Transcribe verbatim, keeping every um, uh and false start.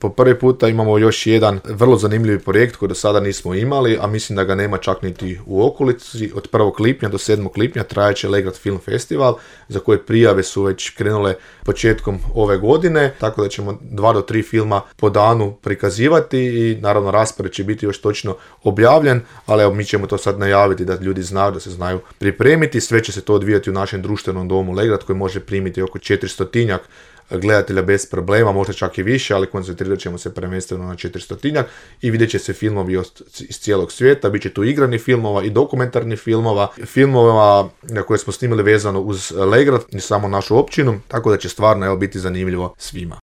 Po prvi puta imamo još jedan vrlo zanimljiv projekt koji do sada nismo imali, a mislim da ga nema čak niti u okolici. Od prvog lipnja do sedmog lipnja trajaće Legrad Film Festival, za koje prijave su već krenule početkom ove godine, tako da ćemo dva do tri filma po danu prikazivati i naravno raspored će biti još točno objavljen, ali evo mi ćemo to sad najaviti da ljudi znaju, da se znaju pripremiti. Sve će se to odvijati u našem društvenom domu Legrad koji može primiti oko četiristotinjak gledatelja bez problema, možda čak i više, ali koncentrirat ćemo se prvenstveno na četiristotinjak i vidjet će se filmovi iz cijelog svijeta, bit će tu igrani filmova i dokumentarni filmova, filmova na koje smo snimili vezano uz Legrad i samo našu općinu, tako da će stvarno evo biti zanimljivo svima.